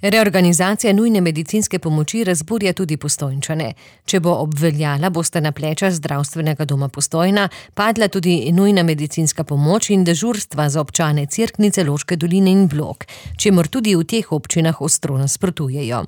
Reorganizacija nujne medicinske pomoči razburja tudi Postojnčane. Če bo obveljala, bosta na pleča zdravstvenega doma Postojna padla tudi nujna medicinska pomoč in dežurstva za občane Cerknice, Loške doline in Blok, čemur tudi v teh občinah ostro nasprotujejo.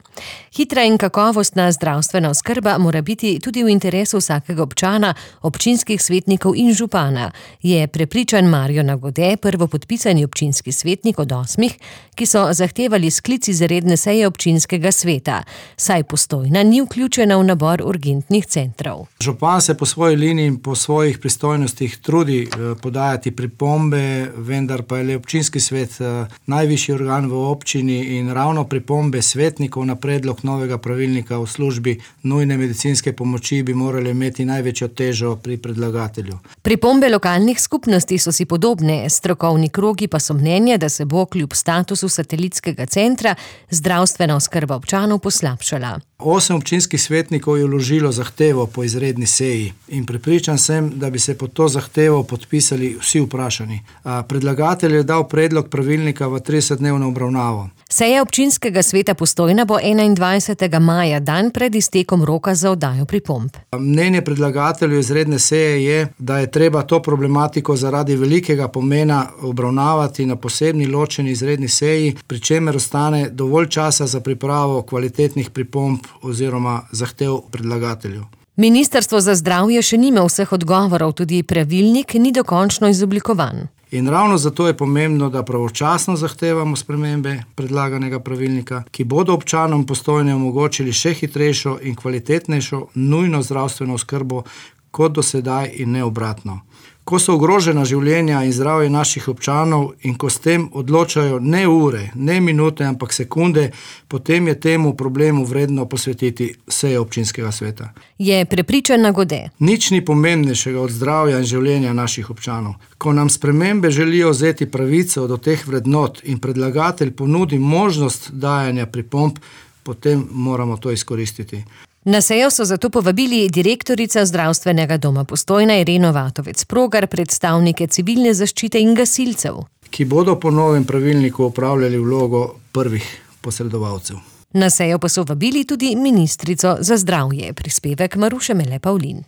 Hitra in kakovostna zdravstvena oskrba mora biti tudi v interesu vsakega občana, občinskih svetnikov in župana, je prepričan Marjo Nagode, prvopodpisani občinski svetnik od 8, ki so zahtevali sklic izredne seje občinskega sveta, saj Postojna ni vključena v nabor urgentnih centrov. Župan se po svoji liniji in po svojih pristojnostih trudi podajati pripombe, vendar pa je le občinski svet najvišji organ v občini in ravno pripombe svetnikov na predlog novega pravilnika o službi nujne medicinske pomoči bi morali imeti največjo težo pri predlagatelju. Pripombe lokalnih skupnosti so si podobne, strokovni krogi pa so mnenja, da se bo kljub statusu satelitskega centra zdravstvena oskrba občanov poslabšala. 8 občinskih svetnikov je vložilo zahtevo po izredni seji in prepričan sem, da bi se pod to zahtevo podpisali vsi vprašani. Predlagatelj je dal predlog pravilnika v 30-dnevno obravnavo. Seja občinskega sveta Postojna bo 21. maja, dan pred iztekom roka za oddajo pripomb. Mnenje predlagatelju izredne seje je, da je treba to problematiko zaradi velikega pomena obravnavati na posebni ločeni izredni seji, pri čemer ostane dovolj časa za pripravo kvalitetnih pripomb oziroma zahtev predlagatelju. Ministrstvo za zdravje še nima vseh odgovorov, tudi pravilnik ni dokončno izoblikovan. In ravno zato je pomembno, da pravočasno zahtevamo spremembe predlaganega pravilnika, ki bodo občanom Postojne omogočili še hitrejšo in kvalitetnejšo nujno zdravstveno oskrbo kot do sedaj in ne obratno. Ko so ogrožena življenja in zdravje naših občanov in ko s tem odločajo ne ure, ne minute, ampak sekunde, potem je temu problemu vredno posvetiti sejo občinskega sveta. Je prepričan Nagode. Nič ni pomembnejšega od zdravja in življenja naših občanov. Ko nam spremembe želijo vzeti pravico do teh vrednot in predlagatelj ponudi možnost dajanja pripomb, potem moramo to izkoristiti. Na sejo so zato povabili direktorica zdravstvenega doma Postojna Ireno Vatovec-Progar, predstavnike civilne zaščite in gasilcev, ki bodo po novem pravilniku opravljali vlogo prvih posredovalcev. Na sejo pa so vabili tudi ministrico za zdravje, prispevek Maruše Mele Pavlin.